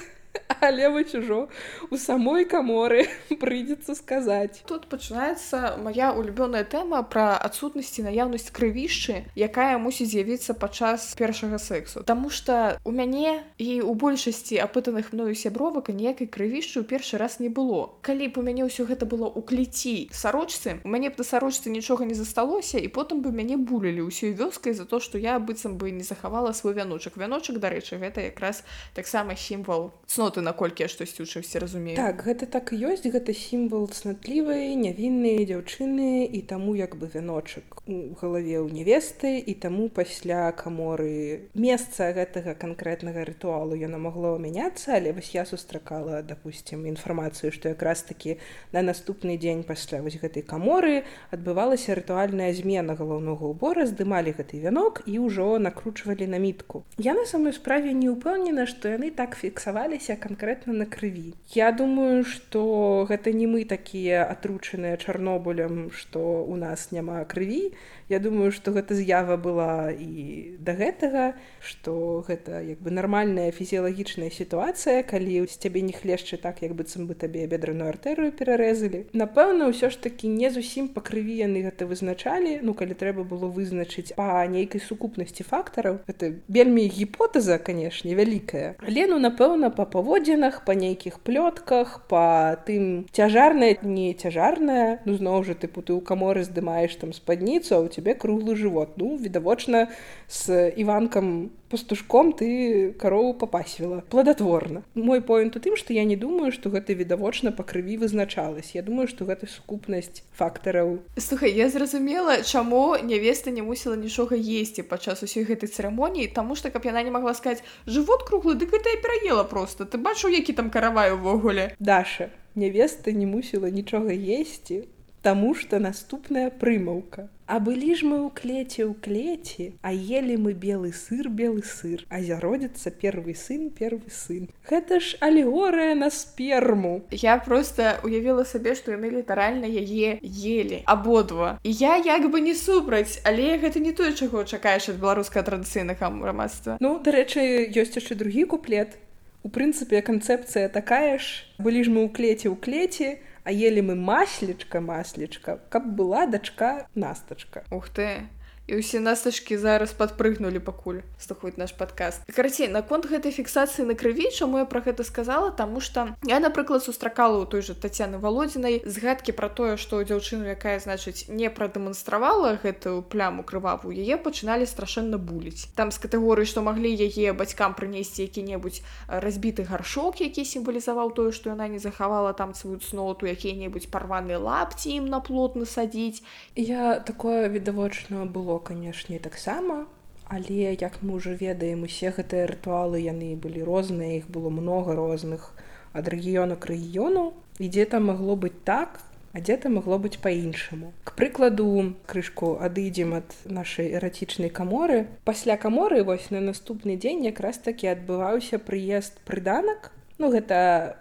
але вось ужо у самой каморы прыйдзецца сказаць. Тут пачынаецца моя улюбёная тэма пра адсутнасць і наяўнасць крывішчы, якая мусіць з'явіцца падчас першага сексу. Таму што у мяне і ў большасці апытаных мною сябровак ніякай крывішчы ў першы раз не было. Калі б у мяне ўсё гэта было ў клеці сарочцы, у мяне б на сарочцы нічога не засталося, і потым бы мяне булілі ўсёй вёскай за то, што я быццам бы не захавала свой вяночак. Вяночак, дарэчы, гэта якраз таксама сімвал цноты, наколькі я штосьці ў чымсьці разумею. Так, гэта так і ёсць, гэта сімвал цнатлівай, нявіннай дзяўчыны, і таму як бы вяночак у галаве ў невесты, і таму пасля каморы месца гэтага канкрэтнага рытуалу яно магло мяняцца, але вось я сустракала, допустим, інфармацыю, што якраз такі на наступны дзень пасля вось гэтай каморы адбывалася рытуальная змена галаўнога ўбора, здымалі гэты вянок і ўжо накручвалі на мітку. Я на самой справе не ўпэўнена, што яны так фіксаваліся канкрэтна на крыві. Я думаю, што гэта не мы такія атручаныя Чарнобылем, што у нас няма крыві. Я думаю, што гэта з'ява была і да гэтага, што гэта як бы нармальная фізіялагічная сітуацыя, калі з цябе не хлешчы так, як быццам бы табе бедраную артэрыю перарэзалі. Напэўна, ўсё ж такі не зусім па крыві яны гэта вызначалі, ну калі трэба было вызначыць па нейкай сукупнасці фактараў. Гэта вельмі гіпотэза, канешне, вялікая. Але, ну, напэўна, па паводзінах, па нейкіх плётках, па тым цяжарная, не цяжарная, ну зноў жа, тыпу, ты ў каморы здымаеш там спадніцу, а ў цябе круглы жывот. Ну, відавочна, з Іванкам пастушком ты карову папасвіла. Пладатворна. Мой поінт у тым, што я не думаю, што гэта відавочна па крыві вызначалась. Я думаю, што гэта сукупнасць фактараў. Слухай, я зразумела, чаму нявеста не мусіла нічога есці падчас усёй гэтай цырымоніі, таму што, каб яна не магла сказаць, жывот круглы, дык гэта я пераела проста. Ты бачыў, які там каравай увогуле? Даша, нявеста не мусіла нічога есці, таму што наступная прымаўка. А былі ж мы ў клеце ў клеці, а елі мы белы сыр, белы сыр, а зародзіцца первы сын, первы сын. Гэта ж алегорыя на сперму. Я проста уявіла сабе, што яны літаральна яе елі, абодва. І я як бы не супраць, але гэта не тое, чаго чакаеш ад беларускага традыцыйнага грамадства. Ну, дарэчы, ёсць яшчэ другі куплет. У прынцыпе, канцэпцыя такая ж. Былі ж мы ў клеце ў клеці, а ели мы маслечка, маслечка, каб была дачка Настачка. Ух ты! І ўсе настачкі зараз падпрыгнулі пакуль слухаюць наш падкаст. Карацей, наконт гэтай фіксацыі на крыві, чаму я пра гэта сказала, таму што я, напрыклад, сустракала ў той жа Тацяны Валодзінай згадкі пра тое, што дзяўчыну, якая, значыць, не прадэманстравала гэтую пляму крывавую, яе пачыналі страшэнна буліць. Там з катэгорыі, што маглі яе бацькам прынесці які-небудзь разбіты гаршок, які сімвалізаваў тое, што яна не захавала там сваю цноту, якія-небудзь парваныя лапці ім на плот насадзіць. Я такое відавочна было, канешне, таксама, але як мы ўжо ведаем, усе гэтыя рытуалы яны былі розныя, іх было много розных ад рэгіёну к рэгіёну, і дзе-то магло быць так, а дзе-то магло быць па-іншаму. К прыкладу, крышку адыдзем ад нашай эратычнай каморы. Пасля каморы вось на наступны дзень якраз такі адбываўся прыезд прыданак. Ну, гэта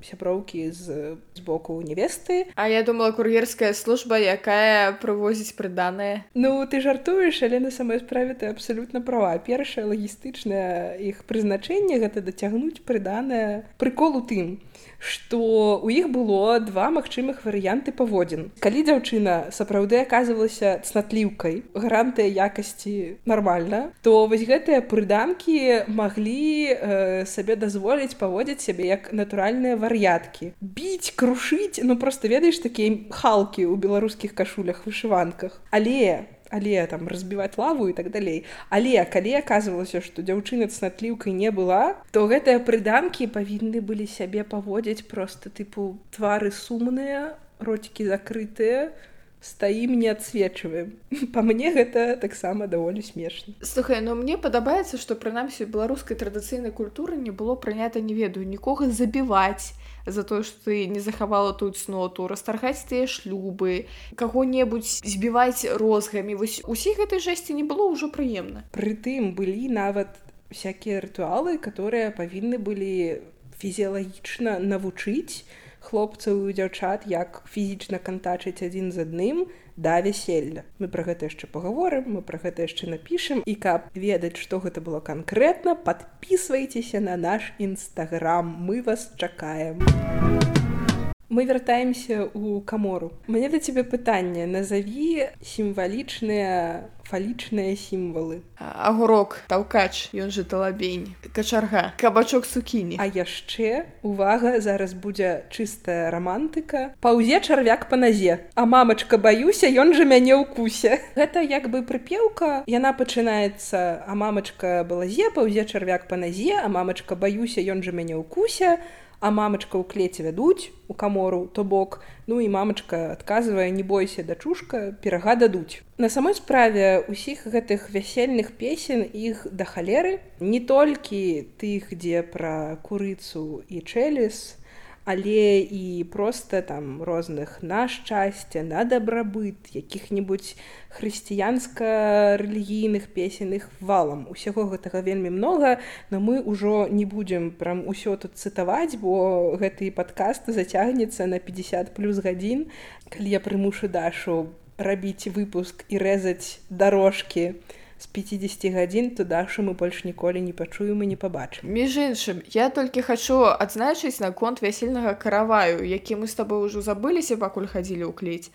сяброўкі з, з боку невесты. А я думала, кур'ерская служба, якая прывозіць прыданае. Ну, ты жартуеш, але на самой справе ты абсалютна права. Першае лагістычнае іх прызначэнне гэта дацягнуць прыданае. Прыкол у тым, што у іх было два магчымых варыянты паводзін. Калі дзяўчына сапраўды аказвалася цнатліўкай, гарантыя якасці нармальна, то вось гэтыя прыданкі маглі э, сабе дазволіць паводзіць сябе як натуральныя вар'яткі. Біць, крушыць, ну проста ведаеш такія халкі ў беларускіх кашулях, вышыванках. Але але там разбіваць лаву і так далей. Але калі аказвалася, што дзяўчына цнатліўкай не была, то гэтыя прыданкі павінны былі сябе паводзіць проста тыпу твары сумныя, роцікі закрытыя, стаім не адсвечваем. Па мне гэта таксама даволі смешна. Слухай, ну мне падабаецца, што прынамсі у беларускай традыцыйнай культуры не было прынята, не ведаю, нікога забіваць за тое, што ты не захавала тую цноту, расторгаць тыя шлюбы, каго-небудзь збіваць розгамі. Вось усіх гэтай жэсці не было ўжо прыемна. Прытым былі нават всякія рытуалы, которые павінны былі фізіялагічна навучыць хлопцаў і дзяўчат, як фізічна кантачыць адзін з адным да вяселля. Мы пра гэта яшчэ пагаворым, мы пра гэта яшчэ напішам, і каб ведаць, што гэта было канкрэтна, падпісвайцеся на наш інстаграм, мы вас чакаем. Мы вяртаемся ў камору. У мяне да цябе пытанне. Назаві сімвалічныя фалічныя сімвалы. Агурок, таўкач, ён же талабень, качарга, кабачок цукіні. А яшчэ, увага, зараз будзе чыстая рамантыка. Паўзе чарвяк па назе. А мамачка, баюся, ён же мяне ўкусе. Гэта як бы прыпеўка. Яна пачынаецца: а мамачка балазе, паўзе чарвяк па назе, а мамачка, баюся, ён же мяне ўкусе. А мамачка ў клеце вядуць у камору, то бок, ну і мамачка адказвае: не бойся, дачушка, пірага дадуць. На самой справе усіх гэтых вясельных песен іх да халеры, не толькі тых, дзе пра курыцу і чэлес, але і проста там розных на шчасце, на дабрабыт, якіх-небудзь хрысціянска-рэлігійных песен, іх валам. Усяго гэтага вельмі многа, но мы ўжо не будзем прям усё тут цытаваць, бо гэты падкаст зацягнецца на пятьдесят плюс гадзін. Калі я прымушу Дашу рабіць выпуск і рэзаць дарожкі з пятьдесят гадзін, то Дашу мы больш ніколі не пачуем і не пабачым. Між іншым, я толькі хачу адзначыць наконт вясельнага караваю, які мы з табой ужо забыліся, пакуль хадзілі ў клець.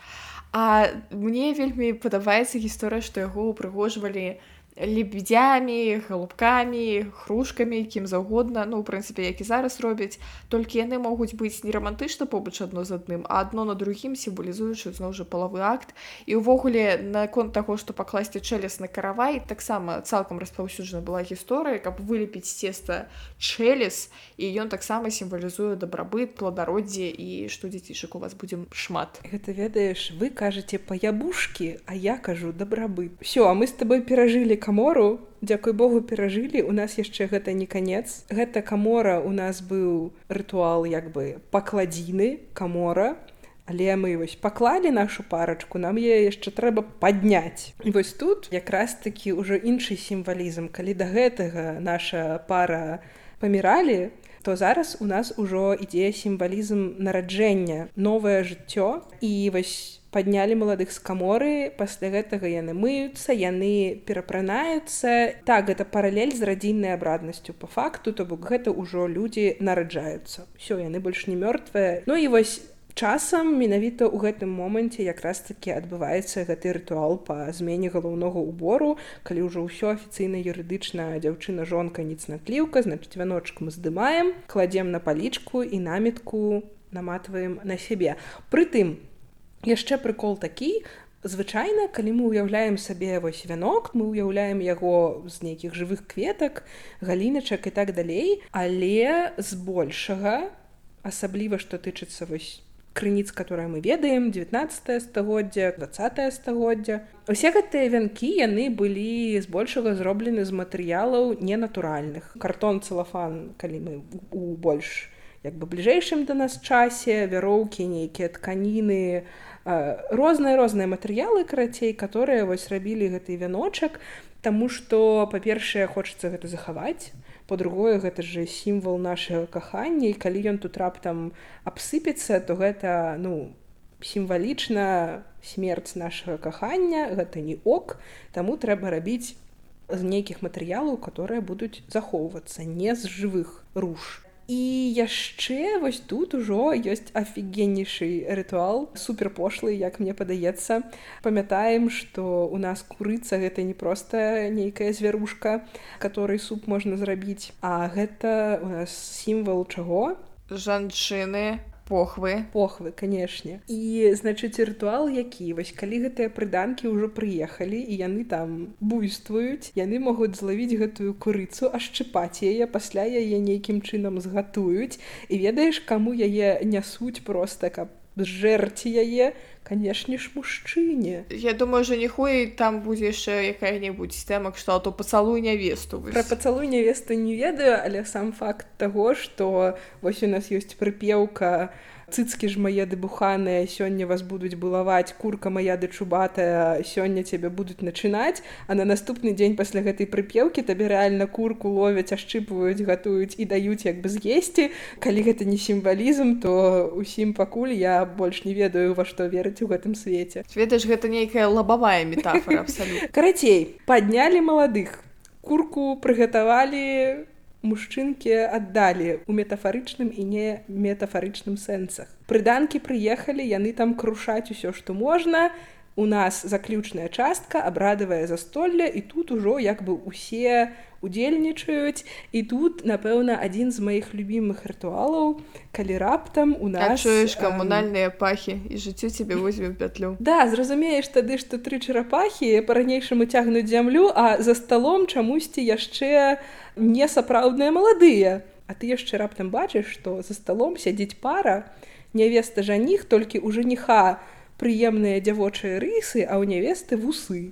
А мне вельмі падабаецца гісторыя, што яго упрыгожвалі лебедзямі, галубкамі, хрушкамі, кім заўгодна, ну, у прынцыпе, як і зараз робяць, толькі яны могуць быць не рамантычна побач адно з адным, а адно на другім, сімвалізуючы зноў жа палавы акт. І ўвогуле, наконт таго, што пакласці чэлес на каравай, таксама цалкам распаўсюджана была гісторыя, каб вылепіць з цеста чэлес, і ён таксама сімвалізуе дабрабыт, плодароддзе, і што, дзецішак, у вас будзе шмат. Гэта, ведаеш, вы кажаце паябушкі, а я кажу дабрабыт. Всё, а мы з табой перажылі камору, дзякуй Богу, перажылі. У нас яшчэ гэта не канец. Гэта камора, у нас быў рытуал як бы пакладзіны, камора, але мы вось паклалі нашу парачку, нам яе яшчэ трэба падняць. І вось тут якраз такі ўжо іншы сімвалізм. Калі да гэтага наша пара паміралі, то зараз у нас ужо ідзе сімвалізм нараджэння, новае жыццё. І вось паднялі маладых з каморы, пасля гэтага яны мыюцца, яны перапранаюцца. Так, гэта паралель з радзільнай абраднасцю па факту, то бок гэта ўжо людзі нараджаюцца. Усё, яны больш не мёртвыя. Ну і вось часам менавіта ў гэтым моманце якраз такі адбываецца гэты рытуал па змене галоўнога ўбору, калі ўжо ўсё афіцыйна юрыдычна дзяўчына-жонка не цнатліўка, значыць вяночак мы здымаем, кладзем на палічку і намітку наматваем на сябе. Прытым, яшчэ прыкол такі, звычайна, калі мы ўяўляем сабе вось вянок, мы ўяўляем яго з нейкіх жывых кветак, галіначак і так далей, але збольшага, асабліва што тычыцца вось крыніц, которые мы ведаем, дзевятнаццатае стагоддзя, дваццатае стагоддзя. Усе гэтыя вянкі, яны былі збольшага зроблены з матэрыялаў ненатуральных. Картон, цэлафан, калі мы у больш як бы бліжэйшым да нас часе, вяроўкі, нейкія тканіны, розныя-розныя матэрыялы, карацей, которые вось рабілі гэты вяночак, таму што, па-першае, хочацца гэта захаваць, па-другое, гэта ж сімвал нашага кахання, і калі ён тут раптам абсыпецца, то гэта, ну, сімвалічна смерць нашага кахання, гэта не ок, таму трэба рабіць з нейкіх матэрыялаў, которые будуць захоўвацца, не з жывых руж. І яшчэ вось тут ужо ёсць афігеннейшы рытуал, суперпошлы, як мне падаецца. Памятаем, што у нас курыца гэта не проста нейкая звярушка, которой суп можна зрабіць, а гэта у нас сімвал чаго? жанчыны, похвы. Похвы, канешне. І, значыць, рытуал які? Вось калі гэтыя прыданкі ўжо прыехалі, і яны там буйствуюць, яны могуць злавіць гэтую курыцу, ашчыпаць яе, пасля яе нейкім чынам згатуюць. І ведаеш, каму яе нясуць проста, каб зжэрці яе? Канешне ж, мужчыне. Я думаю, жаніху і там будзе яшчэ якая-небудзь тэма, што то пацалуй нявесту. Пра пацалуй нявесту не ведаю, але сам факт таго, што вось у нас ёсць прыпеўка «Цыцкі ж мае дыбуханыя, сёння вас будуць балаваць, курка мая дачубатая, сёння цябе будуць начынаць», а на наступны дзень пасля гэтай прыпеўкі табе рэальна курку ловяць, ашчыпваюць, гатуюць і даюць як бы з'есці. Калі гэта не сімвалізм, то усім пакуль я больш не ведаю, во што верыць у гэтым свеце. Ведаеш, гэта нейкая лабавая метафора абсалютна. Карацей, паднялі маладых, курку прыгатавалі, мужчынкі аддалі у метафарычным і не метафарычным сэнсах. Прыданкі прыехалі, яны там крушаць усё, што можна. У нас заключная частка, абрадавае застолле, і тут ужо як бы усе удзельнічаюць. І тут, напэўна, адзін з маіх любімых рытуалаў, калі раптам у нас... Чуеш камунальныя пахі, і жыццё цябе возьме ў пятлю. Да, зразумееш тады, што тры чарапахі па-ранейшаму цягнуць зямлю, а за сталом чамусьці яшчэ несапраўдныя маладыя. А ты яшчэ раптам бачыш, што за сталом сядзіць пара, нявеста жаніх, толькі ў жаніха прыемныя дзявочыя рысы, а ў нявесты вусы.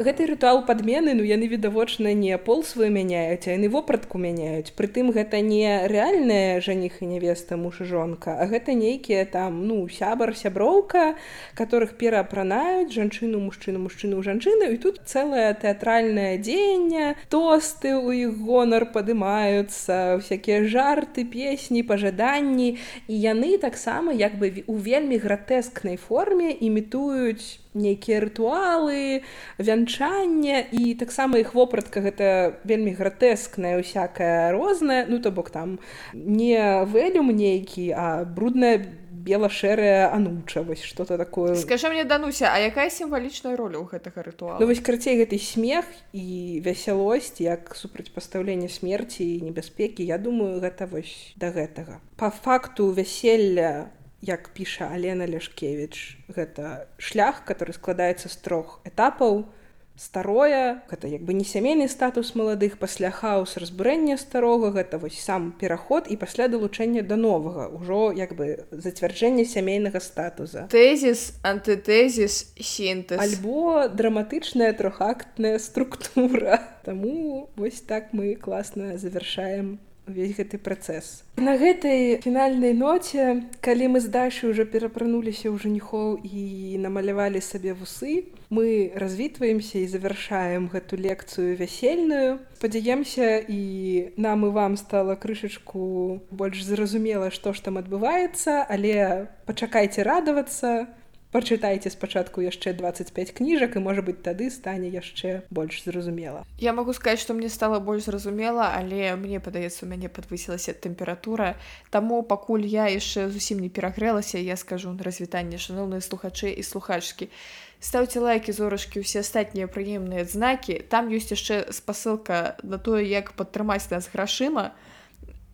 Гэты рытуал падмены, ну яны відавочна не пол свой мяняюць, а яны вопратку мяняюць. Прытым гэта не рэальная жаніх і нявеста, муж і жонка, а гэта нейкія там, ну, сябар, сяброўка, которых пераапранаюць жанчыну, мужчыну, мужчыну, жанчыну, і тут цэлае тэатральнае дзеянне, тосты ў іх гонар падымаюцца, всякія жарты, песні, пажаданні, і яны таксама як бы у вельмі гратэскнай форме імітуюць нейкія рытуалы, вянчанне, і таксама іх вопратка гэта вельмі гратэскная, усякая розная, ну то бок там не вэлюм нейкі, а брудная бела-шэрая ануча, вось што-то такое. Скажы мне, Дануся, а якая сімвалічная роля ў гэтага рытуала? Ну вось карацей гэты смех і весялосць, як супрацьпастаўленне смерці і небяспекі, я думаю, гэта вось да гэтага. Па факту вяселля, як піша Алена Ляшкевіч, гэта шлях, который складаецца з трох этапаў. Старое, гэта як бы не сямейны статус маладых, пасля хаос разбурэння старога, гэта вось сам пераход і пасля далучэння да новага, ужо як бы зацвярджэнне сямейнага статуса. Тэзіс, антытэзіс, сінтэз. Альбо драматычная трохактная структура. Таму вось так мы класна завяршаем увесь гэты працэс. На гэтай фінальнай ноце, калі мы з Дашай ўжо перапрануліся ў жаніхоў і намалявалі сабе вусы, мы развітваемся і завяршаем гэту лекцыю вясельную. Спадзяемся, і нам і вам стала крышачку больш зразумела, што ж там адбываецца, але пачакайце радавацца. Пачытайце спачатку яшчэ дваццаць пяць кніжак, і, можа быць, тады стане яшчэ больш зразумела. Я магу сказаць, што мне стала больш зразумела, але мне падаецца, у мяне падвысілася тэмпература. Таму пакуль я яшчэ зусім не перагрэлася, я скажу на развітанне, шаноўныя слухачы і слухачкі. Стаўце лайкі, зорачкі, усе астатнія прыемныя знакі. Там ёсць яшчэ спасылка на тое, як падтрымаць нас грашыма.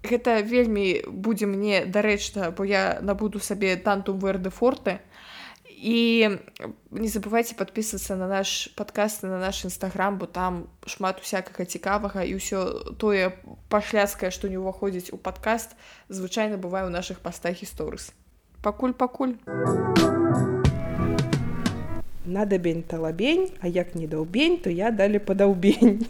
Гэта вельмі будзе мне дарэчна, бо я набуду сабе тантум верде форте. І не забывайце падпісвацца на наш падкаст, на наш інстаграм, бо там шмат усякага цікавага, і ўсё тое пашляцкае, што не ўваходзіць у падкаст, звычайна бывае ў нашых пастах і сторыс. Пакуль-пакуль. Надабень талабень, а як не даўбень, то я далі падаўбень.